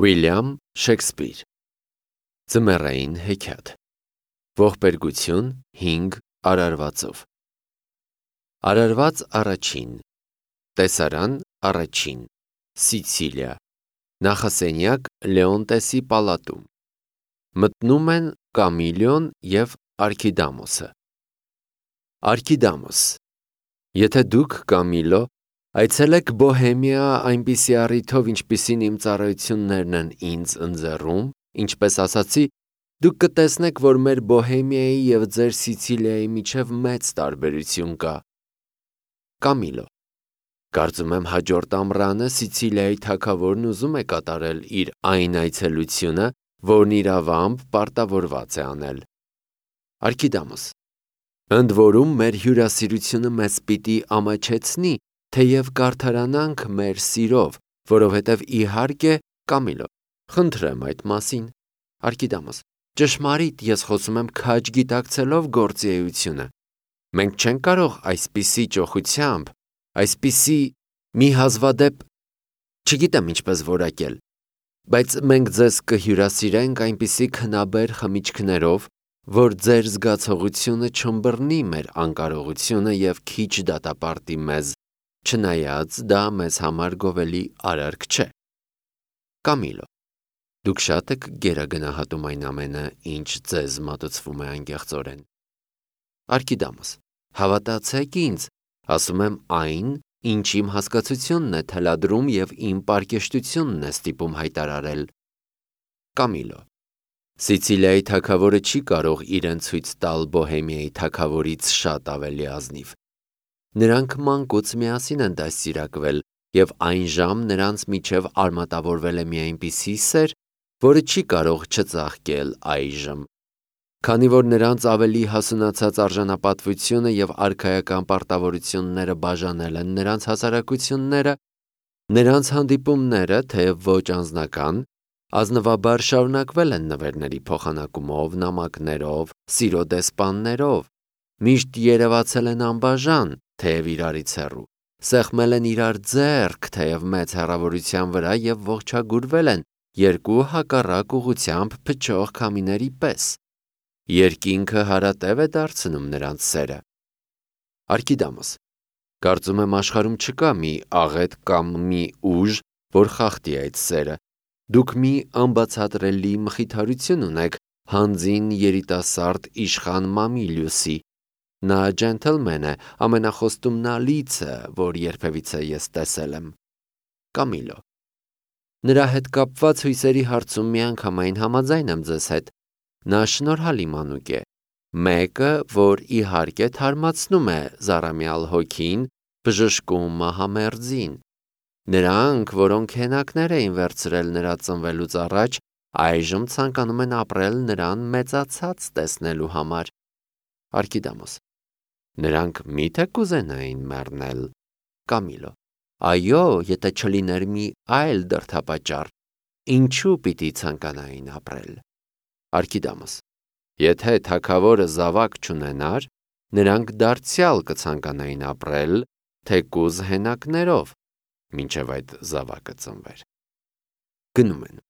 Ուիլյամ Շեքսպիր Ձմեռային հեքիաթ Ողբերգություն 5 արարվածով Արարված առաջին Տեսարան առաջին Սիցիլիա Նախասենյակ Լեոնտեսի պալատում Մտնում են Կամիլիոն և Արքիդամոսը Արքիդամոս Եթե դուք Կամիլո այցելեք Բոհեմիա այնպիսի առիթով, ինչպիսին իմ ծառայություններն են ինձ ընձեռում, ինչպես ասացի, դուք կտեսնեք, որ մեր Բոհեմիայի և ձեր Սիցիլիայի միջև մեծ տարբերություն կա։ Կամիլո Կարծում եմ հաջորդ ամռանը Սիցիլիայի թագավորն ուզում է կատարել իր այն այցելությունը, որն իրավամբ պարտավորված է անել։ Արքիդամոս Ընդ որում մեր հյուրասիրությունը մեզ պիտի ամաչեցնի, թեև կարդարանանք մեր սիրով, որովհետև իհարկե, Կամիլո, խնդրեմ այդ մասին։ Արքիդամոս Ճշմարիտ, ես խոսում եմ քաջ գիտակցելով գործի էությունը։ Մենք չենք կարող այսպիսի ճոխությամբ, այսպիսի մի հազվադեպ, չգիտեմ ինչպես որակել, բայց մենք ձեզ կհյուրասիրենք այնպիսի քնաբեր խմիչքներով, որ ձեր զգացողությունը չըմբռնի մեր անկարողությունը և քիչ դատապարտի մեզ, չնայած դա մեզ համար գովելի արարք չէ։ Կամիլո Դուք շատ եք գերագնահատում այն ամենը, ինչ ձեզ մատուցվում է անկեղծորեն։ Արքիդամոս Հավատացեք ինձ, ասում եմ այն, ինչ իմ հասկացությունն է թելադրում և իմ պարկեշտությունն է ստիպում հայտարարել։ Կամիլո Սիցիլիայի թագավորը չի կարող իրեն ցույց տալ Բոհեմիայի թագավորից շատ ավելի ազնիվ։ Նրանք մանկուց միասին են դաստիարակվել, և այնժամ նրանց միջև արմատավորվել է մի այնպիսի սեր, որը չի կարող չծաղկել այժմ։ Քանի որ նրանց ավելի հասունացած արժանապատվությունը և արքայական պարտավորությունները բաժանել են նրանց հասարակությունները, նրանց հանդիպումները, թեև ոչ անձնական, ազնվաբար շարունակվել են նվերների փոխանակումով, նամակներով, սիրո դեսպաններով, միշտ երևացել են անբաժան, թեև իրարից հեռու, սեղմել են իրար ձեռք, թեև մեծ հեռավորության վրա և ողջագուրվել են երկու հակառակ ուղղությամբ փչող քամիների պես։ Երկինքը հարատև է դարձնում նրանց սերը։ Արքիդամոս Կարծում եմ աշխարհում չկա մի աղետ կամ մի ուժ, որ խախտի այդ սերը։ Դուք մի անբացատրելի մխիթարություն ունեք հանձին երիտասարդ իշխան Մամիլիուսի։ Նա ջենթլմեն է, ամենախոստումնալիցը, որ երբևիցե ես տեսել եմ։ Կամիլո Նրա հետ կապված հույսերի հարցում միանգամայն համաձայն եմ ձեզ հետ։ Նա շնորհալի մանուկ է։ Մեկը, որ իհարկե թարմացնում է զառամյալ հոգին, բժշկում մահամերձին։ Նրանք, որոնք հենակներ էին վերցրել նրա ծնվելուց առաջ, այժմ ցանկանում են ապրել նրան մեծացած տեսնելու համար։ Արքիդամոս Նրանք միթե կուզենային մեռնել։ Կամիլո Այո, եթե չլիներ մի այլ դրդապատճառ, ինչու պիտի ցանկանային ապրել։ Արքիդամոս Եթե թագավորը զավակ չունենար, նրանք դարձյալ կցանկանային ապրել, թեկուզ հենակներով, մինչև այդ զավակը ծնվեր։ Գնում են։